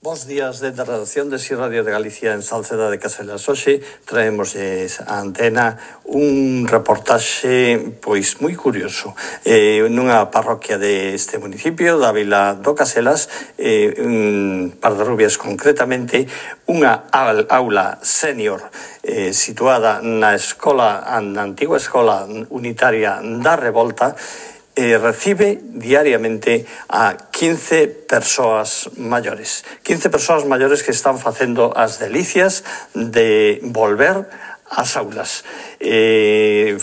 Bos días desde a redacción de Si Radio de Galicia en Salceda de Caselas. Hoxe traemos a antena un reportaxe pois moi curioso nunha parroquia deste municipio da vila do Caselas, Pardarrubias concretamente, unha aula senior situada na antigua escola unitaria da Revolta. Recibe diariamente a 15 persoas maiores. 15 persoas maiores que están facendo as delicias de volver ás aulas.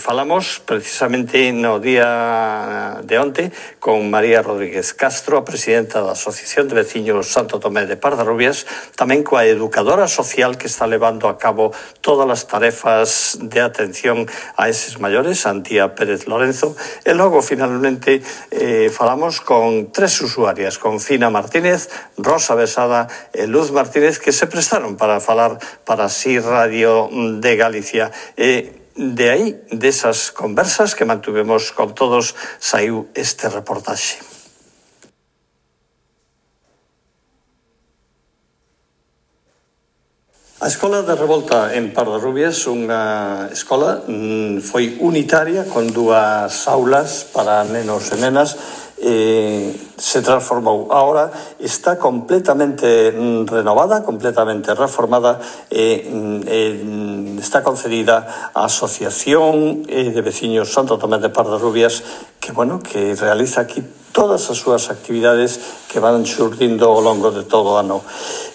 Falamos precisamente no día de onte con María Rodríguez Castro, a presidenta da Asociación de Veciños Santo Tomé de Pardarrubias, tamén coa educadora social que está levando a cabo todas as tarefas de atención a eses maiores, Antía Pérez Lorenzo, e logo finalmente falamos con tres usuarias, con Fina Martínez, Rosa Besada e Luz Martínez, que se prestaron para falar para Si Radio de Galicia. De aí, desas conversas que mantuvemos con todos, saiu este reportaxe. A Escola de Revolta en Pardarrubias, unha escola, foi unitaria con dúas aulas para nenos e nenas. Se transformou. Ahora está completamente renovada, completamente reformada, está concedida á Asociación de Veciños Santo Tomé de Pardarrubias, que realiza aquí todas as súas actividades que van xurdindo ao longo de todo o ano.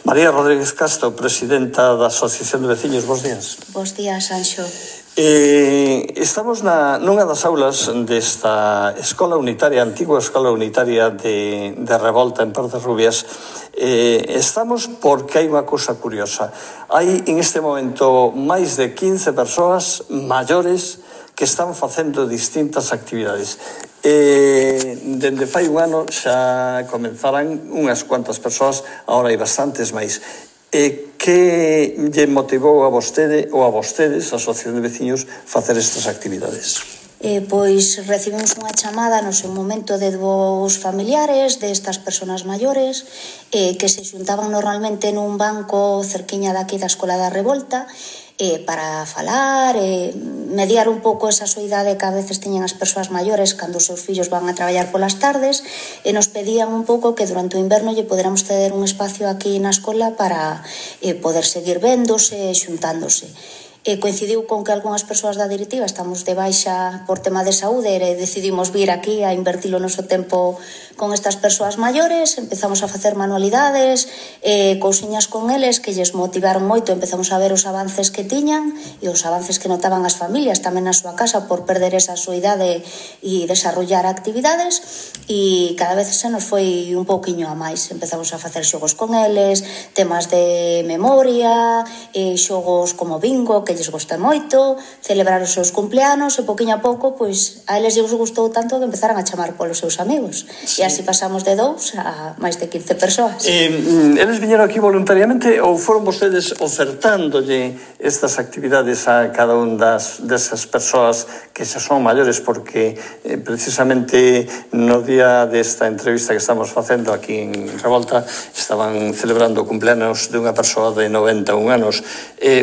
María Rodríguez Castro, presidenta da Asociación de Veciños, bos días. Bos días, Anxo. Estamos nunha das aulas desta escola unitaria, antigua escola unitaria de Revolta en Pardarrubias. Estamos porque hai unha cousa curiosa. Hai en este momento máis de 15 persoas maiores que están facendo distintas actividades. Dende fai un ano xa comenzaran unhas cuantas persoas, agora hai bastantes máis. Que lle motivou a vostede ou a vostedes, a Asociación de Veciños, facer estas actividades? Pois recibimos unha chamada no seu momento de dous familiares destas persoas maiores que se xuntaban normalmente nun banco cerquiña daqui da Escola da Revolta para falar, mediar un pouco esa soidade que a veces teñen as persoas maiores cando os seus fillos van a traballar polas tardes, e nos pedían un pouco que durante o inverno lle poderamos ceder un espacio aquí na escola para poder seguir véndose e xuntándose. Coincidiu con que algunhas persoas da directiva estamos de baixa por tema de saúde e decidimos vir aquí a invertir o noso tempo con estas persoas maiores. Empezamos a facer manualidades, cousiñas con eles que lles motivaron moito. Empezamos a ver os avances que tiñan e os avances que notaban as familias tamén na súa casa por perder esa soidade e desarrollar actividades, e cada vez se nos foi un pouquiño a máis. Empezamos a facer xogos con eles, temas de memoria, xogos como bingo que lles gosta moito, celebrar os seus cumpleanos, e pouquiño a pouco, pois, a eles lles gustou tanto que empezaran a chamar polos seus amigos. Sí. E así pasamos de 2 a máis de 15 persoas. Eles viñeron aquí voluntariamente ou foron vostedes ofertándolle estas actividades a cada un desas persoas que xa son maiores? Porque precisamente no día desta entrevista que estamos facendo aquí en Revolta estaban celebrando o cumpleanos de unha persoa de 91 anos.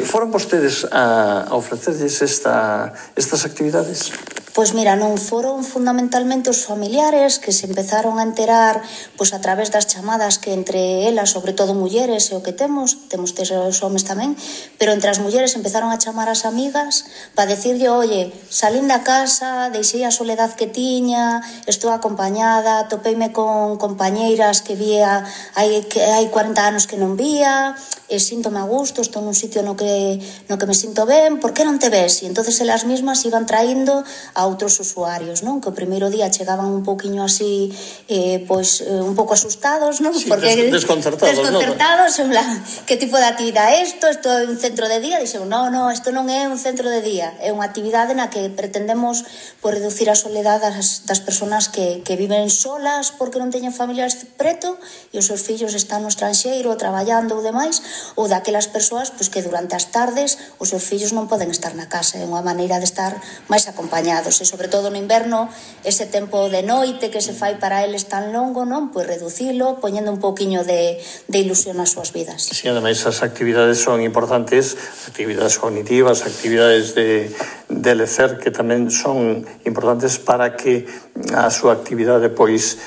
Foron vostedes a ofrecerles estas actividades? Pois mira, non foron fundamentalmente os familiares que se empezaron a enterar pois a través das chamadas que entre elas, sobre todo mulleres, é o que temos os homes tamén, pero entre as mulleres empezaron a chamar as amigas para decirlle, oye, salín da casa, deixei a soledad que tiña, estou acompañada, topeime con compañeiras que vía hai 40 anos que non vía, síntome a gusto, estou nun sitio no que me sinto ben, por que non te ves? E entonces elas mismas iban traíndo a outros usuarios, non? Que o primeiro día chegaban un pouquiño así, un pouco asustados, non? Sí, porque desconcertados, en plan, que tipo de actividade é isto? Isto é un centro de día? Dixen, non, isto non é un centro de día, é unha actividade na que pretendemos reducir a soledade das persoas que viven solas porque non teñen familiares preto e os seus fillos están no estranxeiro traballando ou demais, ou daquelas persoas que durante as tardes os seus fillos non poden estar na casa, é unha maneira de estar máis acompañados. cuidados, e sobre todo no inverno, ese tempo de noite que se fai para eles tan longo, non? Pois reducilo, poñendo un pouquiño de ilusión nas súas vidas. Sí, ademais as actividades son importantes, actividades cognitivas, actividades de lecer que tamén son importantes para que a súa actividade pois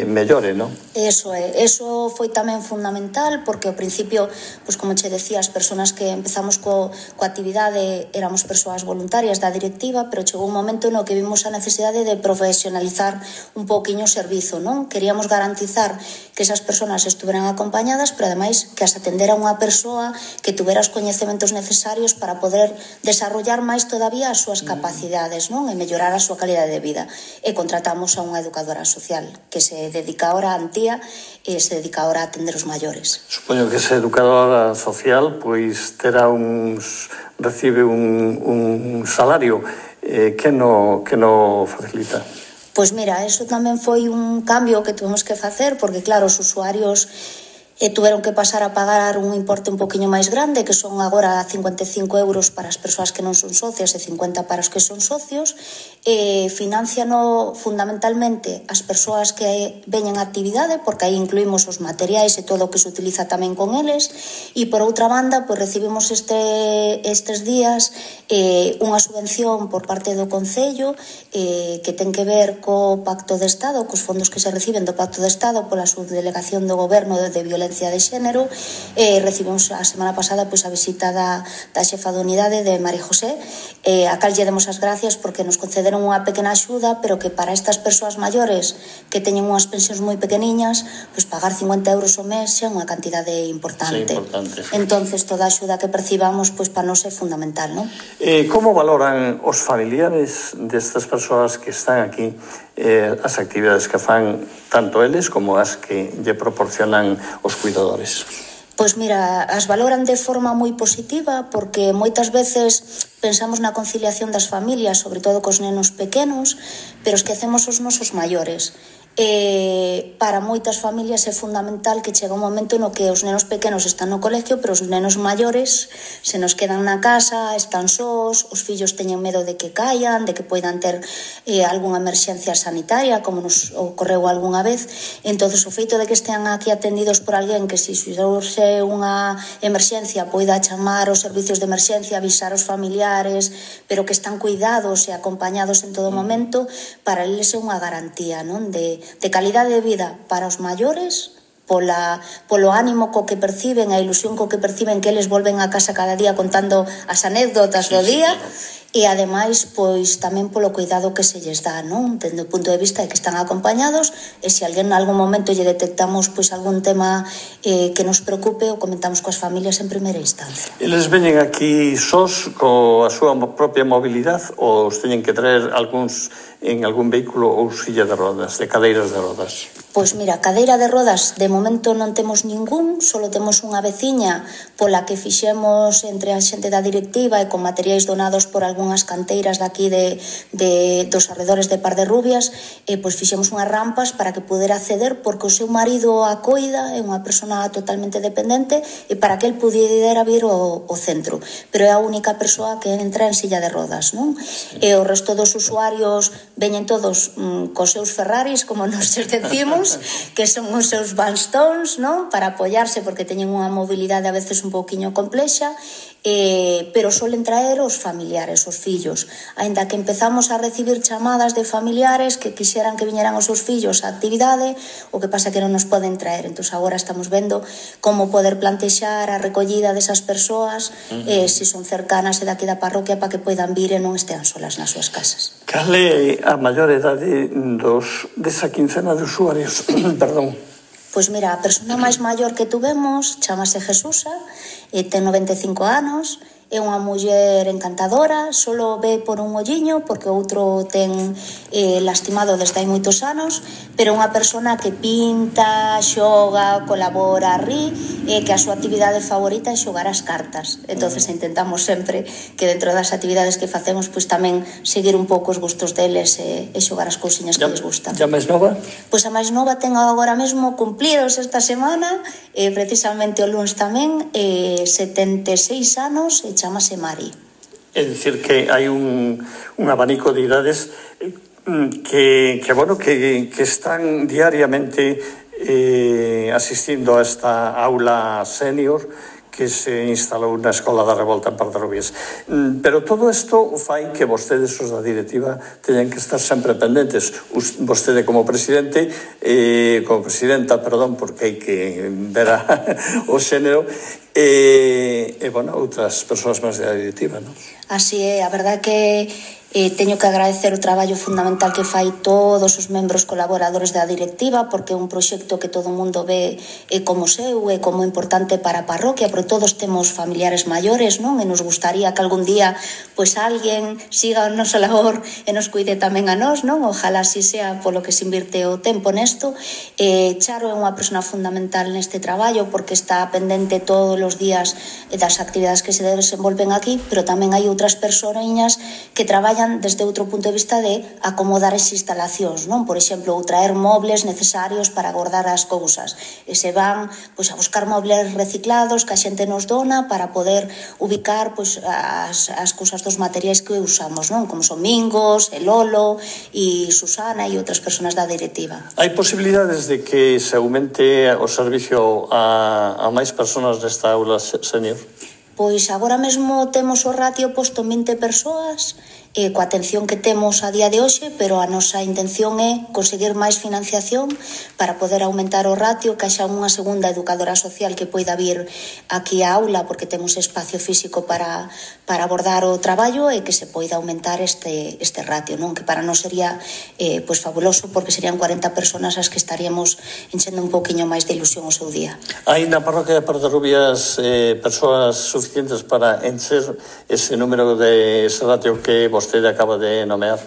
mellore, non? Eso é, eso foi tamén fundamental porque ao principio, pois como che decía, as persoas que empezamos coa actividade éramos persoas voluntarias da directiva, pero chegou un momento no que vimos a necesidade de profesionalizar un pouquiño o servizo, non? Queríamos garantizar que esas persoas estuveran acompañadas, pero ademais que as atendera unha persoa que tuvera os coñecementos necesarios para poder desarrollar máis todavía as súas capacidades, non? E mellorar a súa calidade de vida. E contratamos a unha educadora social que se dedica ahora a Antía e se dedica ahora a atender os maiores. Supoño que esa educadora social pois terá recibe un salario que no facilita. Pois mira, eso tamén foi un cambio que tuvemos que facer porque claro, os usuarios tuveron que pasar a pagar un importe un poquinho máis grande, que son agora 55 euros para as persoas que non son socias e 50 para os que son socios. Financiano fundamentalmente as persoas que veñen a actividade, porque aí incluímos os materiais e todo o que se utiliza tamén con eles, e por outra banda, pois recibimos estes días unha subvención por parte do Concello que ten que ver co Pacto de Estado, cos fondos que se reciben do Pacto de Estado pola subdelegación do Goberno de Violencia de Xénero. Recibimos a semana pasada pois a visita da xefa da unidade de María José, a cal lle demos as gracias porque nos concederon unha pequena axuda, pero que para estas persoas maiores que teñen unhas pensións moi pequeniñas, pois pagar 50 euros ao mes é unha cantidade importante. Entonces toda a axuda que percibamos pois para nós é fundamental, non? Como valoran os familiares destas persoas que están aquí as actividades que fan tanto eles como as que lle proporcionan os cuidadores? Pois mira, as valoran de forma moi positiva porque moitas veces pensamos na conciliación das familias, sobre todo cos nenos pequenos, pero esquecemos os nosos maiores. Para moitas familias é fundamental que chega un momento no que os nenos pequenos están no colegio, pero os nenos maiores se nos quedan na casa, están sós, os fillos teñen medo de que caian, de que poidan ter algunha emerxencia sanitaria, como nos ocorreu algunha vez. Entonces o feito de que estean aquí atendidos por alguén que se surxe unha emerxencia poida chamar os servicios de emerxencia, avisar aos familiares, pero que están cuidados e acompañados en todo momento, para eles é unha garantía, non? De calidade de vida para os maiores, polo ánimo co que perciben, a ilusión co que perciben que eles volven a casa cada día contando as anécdotas do día, e ademais pois tamén polo cuidado que se lles dá, non? Dende o punto de vista de que están acompañados, e se alguén en algún momento lle detectamos pois algún tema que nos preocupe, o comentamos coas familias en primeira instancia. Eles veñen aquí sós coa súa propia mobilidade ou os teñen que traer algúns en algún vehículo ou silla de rodas, de cadeiras de rodas? Pois mira, cadeira de rodas de momento non temos ningún, só temos unha veciña pola que fixemos entre a xente da directiva e con materiais donados por algunhas canteiras daqui dos arredores de Par de Rubias, pois fixemos unhas rampas para que pudera acceder porque o seu marido a coida, é unha persona totalmente dependente, e para que el pudera vir ao centro, pero é a única persoa que entra en silla de rodas, non? E o resto dos usuarios veñen todos cos seus Ferraris, como nos decimos, que son os seus bastons, non? Para apoiarse porque teñen unha mobilidade a veces un pouquiño complexa, pero solen traer os familiares, os fillos, aínda que empezamos a recibir chamadas de familiares que quixeran que viñeran os seus fillos á actividade, o que pasa que non nos poden traer. Entón agora estamos vendo como poder plantexar a recollida desas persoas, se son cercanas e daqui da parroquia, para que poidan vir e non estean solas nas súas casas. Cal é a maior idade desa quincena de usuarios? Perdón. Pois mira, a persona máis maior que tuvemos chamase Jesusa, ten 95 anos, é unha muller encantadora, solo ve por un olliño porque o outro ten lastimado desde hai moitos anos, pero unha persona que pinta, xoga, colabora, ri, e que a súa actividade favorita é xogar as cartas. Entonces intentamos sempre que dentro das actividades que facemos pois tamén seguir un pouco os gustos deles e xogar as cousiñas que les gustan. E a máis nova? Pois a máis nova ten agora mesmo cumplidos esta semana, precisamente o luns tamén, 76 anos, e chamase Mari. É dicir que hai un abanico de idades que están diariamente asistindo a esta aula senior que se instalou na Escola da Revolta en Pardarrubias. Pero todo isto fai que vostedes, os da directiva, teñan que estar sempre pendentes. Vostede como presidente, como presidenta, perdón, porque hai que ver o xénero, outras persoas máis da directiva, non? Así é, a verdade que teño que agradecer o traballo fundamental que fai todos os membros colaboradores da directiva, porque é un proxecto que todo o mundo ve como seu e como importante para a parroquia, porque todos temos familiares maiores, non? E nos gustaría que algún día pois alguén siga o noso labor e nos cuide tamén a nós, non? Ojalá así sea polo que se invirte o tempo nesto. Charo é unha persona fundamental neste traballo porque está pendente todos os días das actividades que se desenvolven aquí, pero tamén hai outras persoiñas que traballan desde outro punto de vista de acomodar as instalacións, non? Por exemplo, ou traer mobles necesarios para guardar as cousas. E se van pois, a buscar mobles reciclados que a xente nos dona para poder ubicar pois, as cousas dos materiais que usamos, non? Como son Mingos, el Lolo e Susana e outras persoas da directiva. Hai posibilidades de que se aumente o servicio a máis persoas desta aula senior? Pois agora mesmo temos o ratio posto en 20 persoas, coa atención que temos a día de hoxe, pero a nosa intención é conseguir máis financiación para poder aumentar o ratio, que haxa unha segunda educadora social que poida vir aquí á aula, porque temos espacio físico para abordar o traballo e que se poida aumentar este ratio, non? Que para nós sería pois fabuloso, porque serían 40 persoas as que estaríamos enchendo un pouquiño máis de ilusión o seu día. Hai na parroquia de Pardarrubias persoas suficientes para encher ese número de ese ratio que vostede acaba de nomear?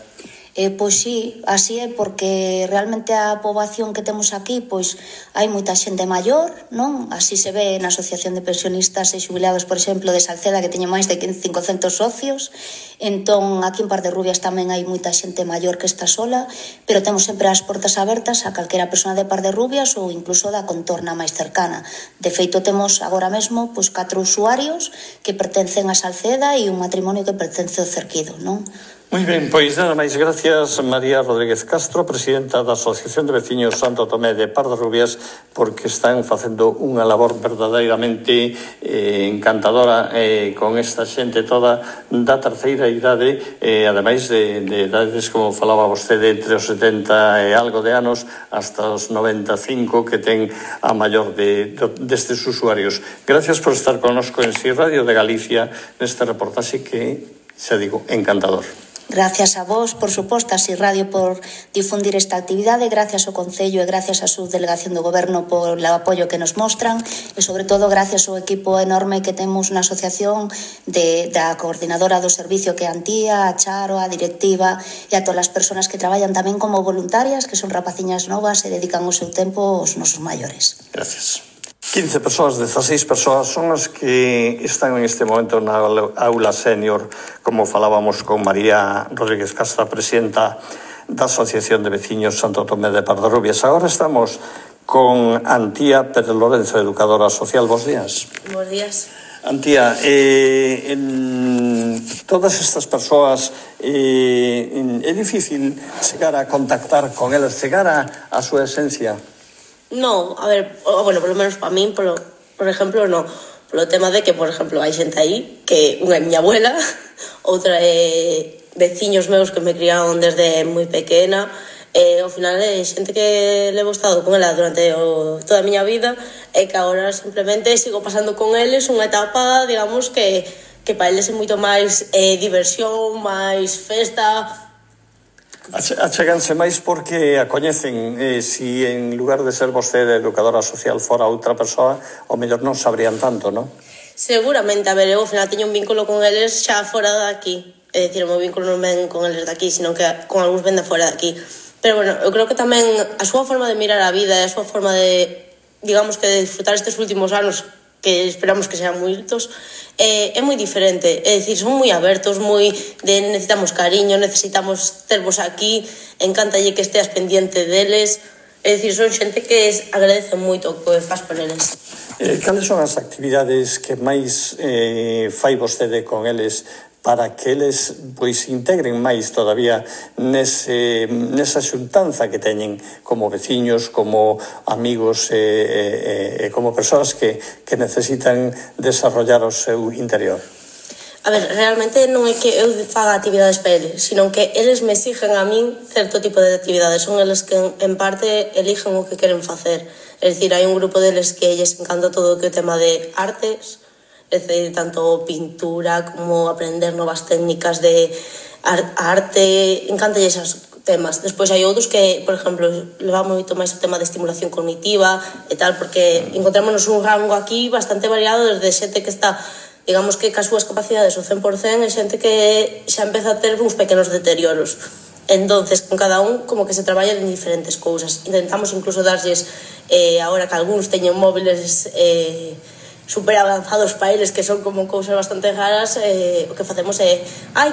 Pois sí, así é, porque realmente a poboación que temos aquí, pois hai moita xente maior, non? Así se ve na Asociación de Pensionistas e Xubilados, por exemplo, de Salceda, que teñe máis de 500 socios. Entón, aquí en Pardarrubias tamén hai moita xente maior que está sola, pero temos sempre as portas abertas a calquera persona de Pardarrubias ou incluso da contorna máis cercana. De feito, temos agora mesmo pois 4 usuarios que pertencen a Salceda e un matrimonio que pertence ao Cerquido, non? Moi ben, pois nada máis, gracias María Rodríguez Castro, presidenta da Asociación de Veciños Santo Tomé de Pardarrubias, porque están facendo unha labor verdadeiramente encantadora con esta xente toda da terceira idade, ademais de idades, como falaba vostede, entre os 70 e algo de anos hasta os 95 que ten a maior destes usuarios. Gracias por estar connosco en Si Radio de Galicia neste reportaxe que, xa digo, encantador. Gracias a vos, por suposto, a Si Radio por difundir esta actividade, gracias ao Concello e gracias á subdelegación do Goberno por o apoio que nos mostran e, sobre todo, gracias ao equipo enorme que temos na asociación da coordinadora do servicio que é Antía, a Charo, a directiva e a todas as persoas que traballan tamén como voluntarias, que son rapaciñas novas e dedican o seu tempo aos nosos maiores. Gracias. 15 persoas, 16 persoas son as que están en este momento na aula senior, como falábamos con María Rodríguez Castro, presidenta da Asociación de Veciños Santo Tomé de Pardarrubias. Agora estamos con Antía Pérez Lorenzo, educadora social. Bos días. Bos días. Antía, en todas estas persoas é difícil chegar a contactar con elas, chegar a súa esencia? No, a ver, bueno, polo menos para min, por exemplo, no. Polo tema de que, por exemplo, hai xente aí que unha é miña abuela, outra é veciños meus que me criaron desde moi pequena, e ao final é xente que levo estado con ela durante toda a miña vida e que agora simplemente sigo pasando con eles unha etapa, digamos, que para eles é moito máis diversión, máis festa. Acheganse máis porque a coñecen. Si en lugar de ser vostede educadora social fora outra persoa, o mellor non sabrían tanto, non? Seguramente, a ver, eu ao final teño un vínculo con eles xa fora de aquí. É dicir, o meu vínculo non ven con eles de aquí, sino que con algúns ven de fora de aquí. Pero, bueno, eu creo que tamén a súa forma de mirar a vida e a súa forma de, digamos, que de disfrutar estes últimos anos, que esperamos que sean moitos, é moi diferente. É dicir, son moi abertos, moi de necesitamos cariño, necesitamos tervos aquí, encántalle que esteas pendiente deles. É dicir, son xente que agradece moito o que faz por eles. Cales son as actividades que máis fai vostede con eles para que eles pois integren máis todavía nesa xuntanza que teñen como veciños, como amigos e como persoas que necesitan desarrollar o seu interior? A ver, realmente non é que eu faga actividades para eles, sino que eles me exigen a min certo tipo de actividades. Son eles que en parte eligen o que queren facer. É dicir, hai un grupo deles que lles encanta todo o que é o tema de artes, é dicir, tanto pintura como aprender novas técnicas de arte, encanta esos temas. Despois hai outros que, por exemplo, levamos moito máis o tema de estimulación cognitiva e tal, porque encontrámonos un rango aquí bastante variado, desde xente que está, digamos que cas súas capacidades o 100%, e xente que xa empeza a ter uns pequenos deterioros. Entonces, con cada un, como que se traballa en diferentes cousas. Intentamos incluso darlles, agora que algúns teñen móviles super avanzados para eles, que son como cousas bastante raras, o que facemos é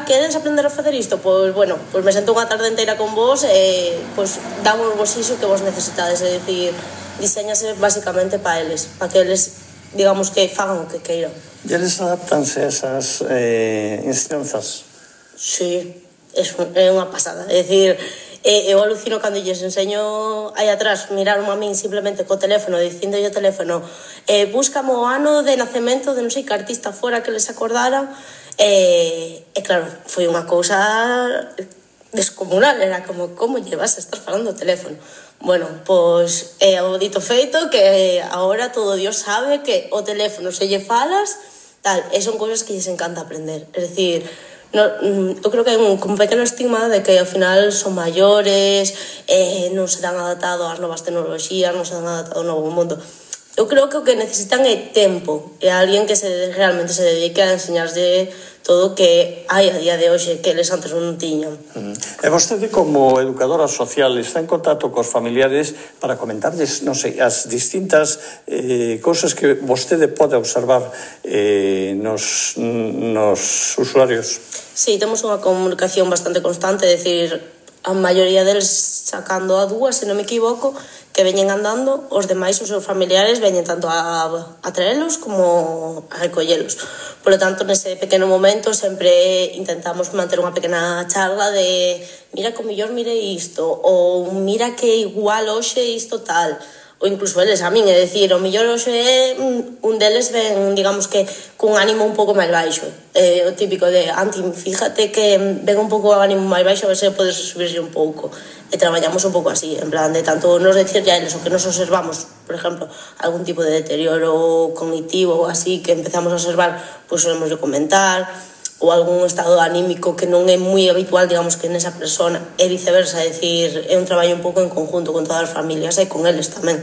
queres aprender a facer isto? Pois, bueno, pois me sento unha tarde inteira con vos e pois damos vos iso que vos necesitades, é dicir, diseñase basicamente para eles, para que eles, digamos, que fagan o que queiran. E eles adaptanse a esas ensinanzas? Sí, é unha pasada, é dicir, eu alucino cando lles enseño aí atrás, miraron a min simplemente co teléfono, dicindo o teléfono, búscame o ano de nacemento de non sei que artista fora que les acordara, e claro, foi unha cousa descomunal, era como llevas a estar falando o teléfono. Bueno, pois é o dito feito que agora todo Dios sabe que o teléfono se lle falas, tal, e son cousas que lles encanta aprender, é dicir, eu creo que hai un pequeno estigma de que ao final son maiores, non se dan adaptado ás novas tecnoloxías, non se dan adaptado ao novo mundo. Eu creo que o que necesitan é tempo, e alguén que realmente se dedique a enseñarse todo o que hai a día de hoxe que eles antes non tiñan. E vostede, como educadora social, está en contacto cos familiares para comentarles, non sei, as distintas cousas que vostede pode observar nos usuarios? Sí, temos unha comunicación bastante constante, é dicir, a maioría deles sacando a dúas, se non me equivoco, que veñen andando, os demais, os seus familiares, veñen tanto a traelos como a recollelos. Por lo tanto, nese pequeno momento, sempre intentamos manter unha pequena charla de mira que o mellor mire isto, ou mira que igual hoxe isto tal, ou incluso eles a min, é dicir, o mellor hoxe un deles ven, digamos que, cun ánimo un pouco máis baixo. O típico de, Anti, fíjate que ven un pouco o ánimo máis baixo, a ver se podes subirse un pouco. E traballamos un pouco así, en plan de tanto nos decirle a eles o que nos observamos, por exemplo, algún tipo de deterioro cognitivo ou así que empezamos a observar, pois solemos comentar, ou algún estado anímico que non é moi habitual, digamos, que nesa persona, e viceversa, é dicir, é un traballo un pouco en conjunto con todas as familias e con eles tamén.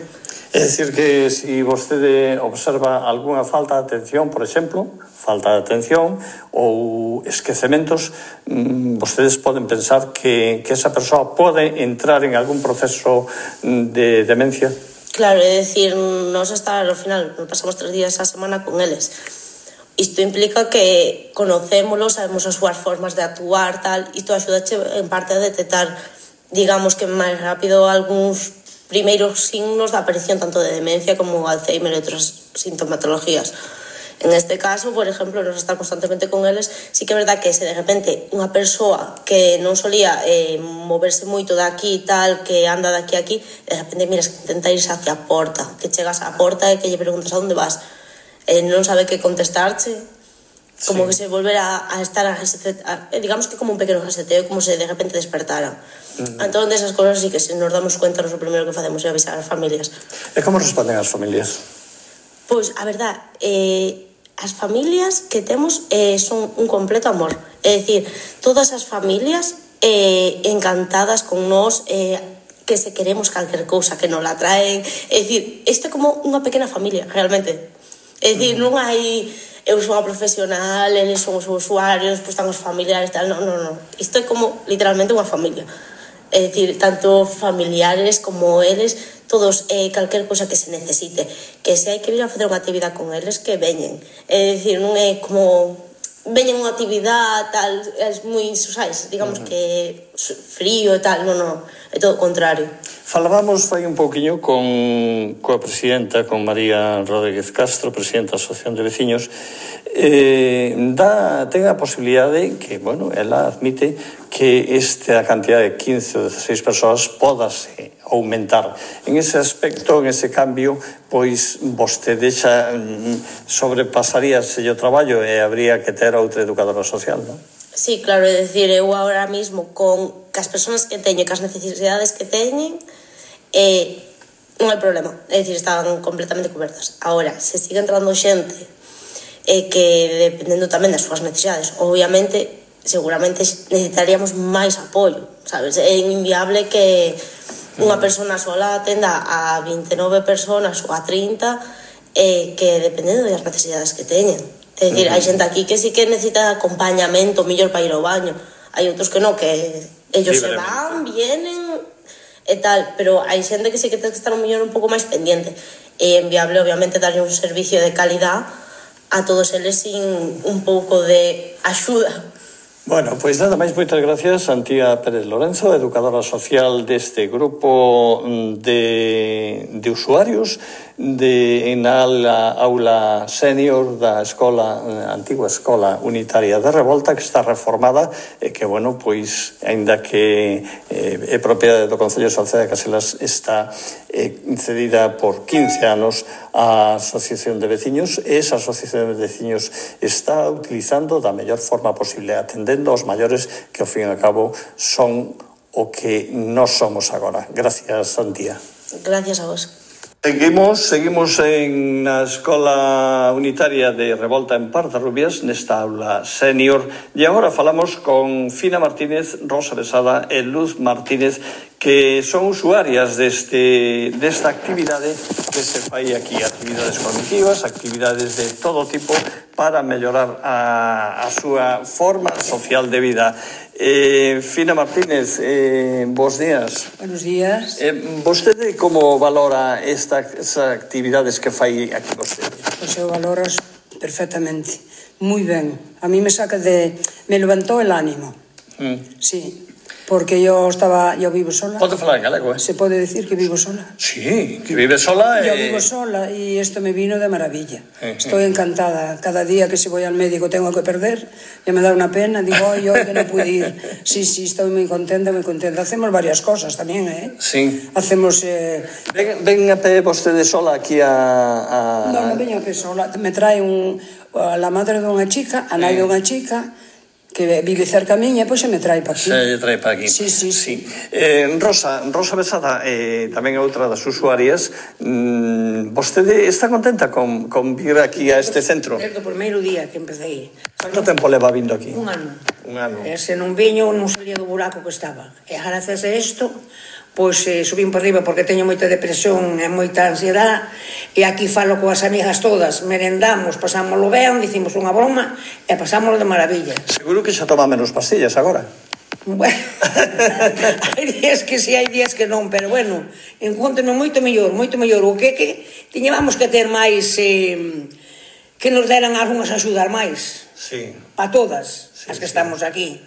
É dicir que se vostede observa algunha falta de atención, por exemplo, falta de atención ou esquecementos, vostedes poden pensar que esa persoa pode entrar en algún proceso de demencia? Claro, é dicir, nos hasta ao final, pasamos 3 días a semana con eles. Isto implica que conocémolos, sabemos as súas formas de actuar, tal, isto axudache en parte a detectar, digamos que máis rápido, algúns primeiros signos da aparición tanto de demencia como Alzheimer e outras sintomatologías. En este caso, por exemplo, nos estar constantemente con eles, sí que é verdad que se de repente unha persoa que non solía moverse moito de aquí e tal, que anda de aquí a aquí, de repente miras que intenta irse hacia a porta, que chegas á porta e que lle preguntas a onde vas, non sabe que contestarche, como sí, que se volvera a estar digamos que como un pequeno reseteo, como se de repente despertara. Entón, desas cosas sí que se nos damos cuenta, o primeiro que facemos é avisar as familias. E como responden as familias? Pois, a verdad, as familias que temos son un completo amor. É dicir, todas as familias encantadas con nós, que se queremos calquer cousa que nos la traen. É dicir, isto é como unha pequena familia, realmente. É dicir, non hai eu sou unha profesional, eles son os usuarios, pois están os familiares, tal, non. Isto é como literalmente unha familia. É dicir, tanto familiares como eles, todos, calquer cosa que se necesite, que se hai que vir a facer unha actividade con eles, que veñen. É dicir, non é como veñen unha actividade, tal, é moi, sabes, digamos que frío e tal, non, é todo o contrario. Falábamos fai un pouquiño coa presidenta, con María Rodríguez Castro, presidenta da Asociación de Veciños. Ten a posibilidade que, bueno, ela admite que esta cantidad de 15 ou 16 persoas podase aumentar. En ese aspecto, en ese cambio, pois vostede xa sobrepasaríase o traballo e habría que ter outra educadora social, non? Sí, claro, é dicir, eu ahora mismo con as persoas que teño, cas necesidades que teñen, non hai problema, é dicir, están completamente cobertas. Agora, se sigue entrando xente que dependendo tamén das súas necesidades, obviamente, seguramente necesitaríamos máis apoio, sabes? É inviable que unha persona sola atenda a 29 personas ou a 30 que dependendo das necesidades que teñen. É dicir, hai xente aquí que sí que necesita acompañamento mellor para ir ao baño. Hai outros que non, que ellos se van, vienen e tal, pero hai xente que sí que ten que estar un mellor un pouco máis pendiente. É enviable, obviamente, darlle un servicio de calidad a todos eles sin un pouco de axuda. Bueno, pois nada máis, moitas gracias, Antía Pérez Lorenzo, educadora social deste grupo de usuarios na aula senior da antigua escola unitaria de Revolta, que está reformada e que, bueno, pois, aínda que é propiedade do Concello de Salceda de Caselas, está cedida por 15 anos á Asociación de Veciños, e esa Asociación de Veciños está utilizando da mellor forma posible, atendendo aos maiores que, ao fin e ao cabo, son o que nós somos agora. Gracias, Antía. Gracias a vos. Seguimos na Escola Unitaria de Revolta en Pardarrubias, nesta aula senior, e agora falamos con Fina Martínez, Rosa Besada e Luz Martínez, que son usuarias desta actividade que se fai aquí, actividades cognitivas, actividades de todo tipo para mellorar a súa forma social de vida. Fina Martínez, bos días. Buenos días. Vostede como valora estas actividades que fai aquí vostede? Pois eu valoro perfectamente, moi ben. A mí me levantó el ánimo. Sí. Porque yo vivo sola. Pode falar en galego, Se pode decir que vivo sola. Sí, que vive sola. Yo vivo sola y esto me vino de maravilla. Estoy encantada. Cada día que si voy al médico tengo que perder, ya me da una pena. Digo, hoy que no pude ir. Sí, estoy muy contenta, muy contenta. Hacemos varias cosas también, ¿eh? Sí. Hacemos... Ven a pé vostede sola aquí a... No veño a pé sola. Me trae la madre de unha chica, a nai de unha chica, que vive cerca miña, pois se me trae para aquí. Se trae para aquí. Sí. Rosa Besada, tamén é outra das usuarias. Vostede está contenta con vir aquí a este centro? Desde o primeiro día que empecé. Canto tempo leva vindo aquí? Un ano. Se non viño, non salía do buraco que estaba. E gracias a isto, pois subín por riba porque teño moita depresión e moita ansiedade, e aquí falo coas amigas todas, merendamos, pasámoslo ben, dicimos unha broma e pasámoslo de maravilla. Seguro que xa toma menos pastillas agora. Bueno, hai días que sí, hai días que non, pero bueno, encontro-me moito mellor. O que tiñamos que ter máis, que nos deran algunhas axudas máis. Sí. A todas as que estamos aquí.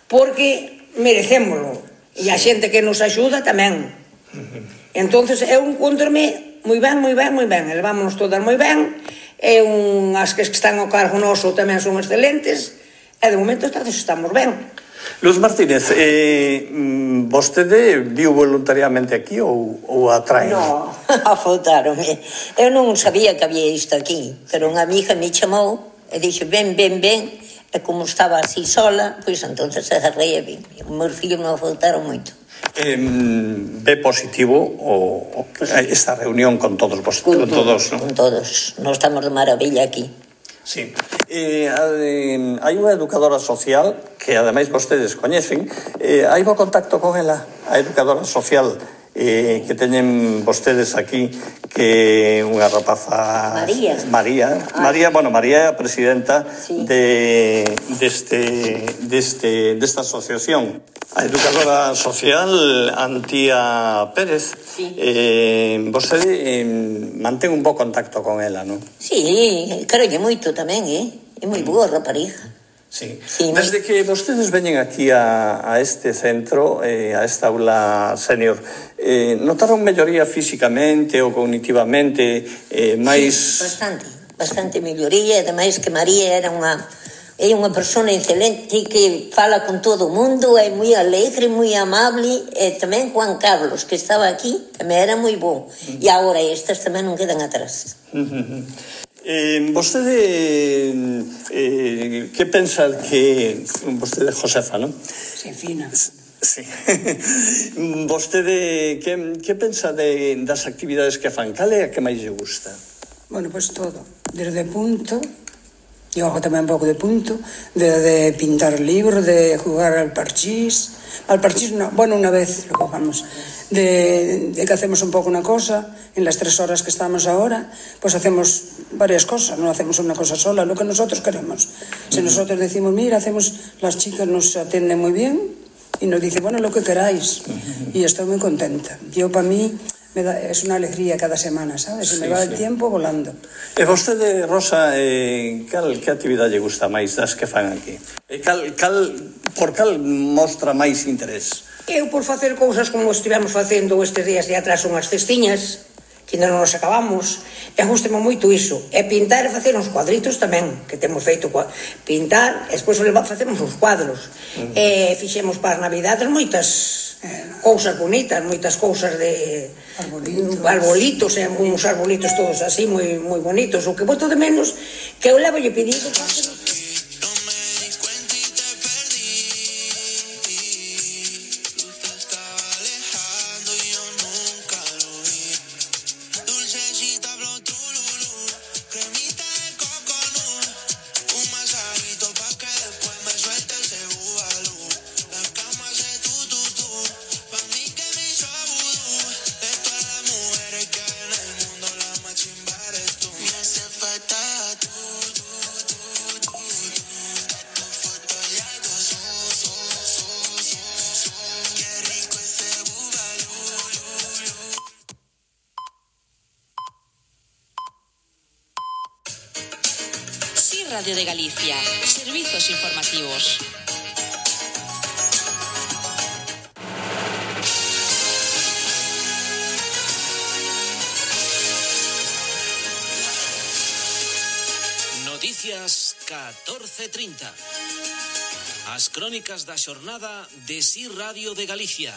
Porque merecémolo. E a xente que nos axuda tamén. Entonces eu encontro-me moi ben. Levámonos todas moi ben. E as que están ao cargo noso tamén son excelentes. E de momento estamos ben. Luz Martínez, vostede viu voluntariamente aquí ou atrae? No, afoutaronme. Eu non sabía que había isto aquí, pero unha amiga me chamou e dixo, ven. E como estaba así sola, pois entonces agarrei e vin. Os meus fillos me afoutaron moito. Ve positivo esta reunión con todos vos? Con todos, non? Con todos. Nos estamos de maravilla aquí. Sí. Hai unha educadora social que ademais vostedes coñecen. Hai bo contacto con ela, a educadora social que teñen vostedes aquí, que unha rapaza María, é a presidenta desta asociación, a educadora social Antía Pérez. Vostede mantén un bo contacto con ela, non? Sí, carolle moito tamén, é moi boa rapariga. Sí. Desde que vostedes veñen aquí a este centro, a esta aula senior, notaron melloría físicamente ou cognitivamente máis... Sí, bastante melloría, e ademais que María é unha persona excelente que fala con todo o mundo, é moi alegre, moi amable, e tamén Juan Carlos, que estaba aquí, tamén era moi bon, e agora estas tamén non quedan atrás. Vostede que pensa que vostede Josefa, non? Josefina. Sí. Vostede que pensa das actividades que fan? Cal é a que máis lle gusta? Bueno, pues todo, desde punto, yo hago tamén un pouco de punto, de pintar libros, de jugar al parchís no, bueno, una vez lo jugamos, de que hacemos un pouco una cosa, en las 3 horas que estamos ahora, pues hacemos varias cosas, no hacemos una cosa sola, lo que nosotros queremos. Si nosotros decimos, mira, las chicas nos atienden muy bien, y nos dicen, bueno, lo que queráis, y estoy muy contenta. Yo, para mí, es una alegría cada semana, ¿sabes? Se me va el tiempo volando. E vostede, Rosa, que actividade lle gusta máis das que fan aquí? Por cal mostra máis interés? Eu por facer cousas como estivemos facendo estes días de atrás unhas cestiñas, que ainda non nos acabamos, e gustame moito iso. E pintar e facer uns cuadritos tamén, que temos feito pintar, e despois facemos uns cuadros. E fixemos para as Navidades moitas cousas bonitas, moitas cousas de arbolitos, e uns arbolitos todos así, moi bonitos. O que boto de menos, que eu levo lle pedido para que Radio de Galicia, servizos informativos. Noticias 14:30. As crónicas da xornada de SIR Radio de Galicia.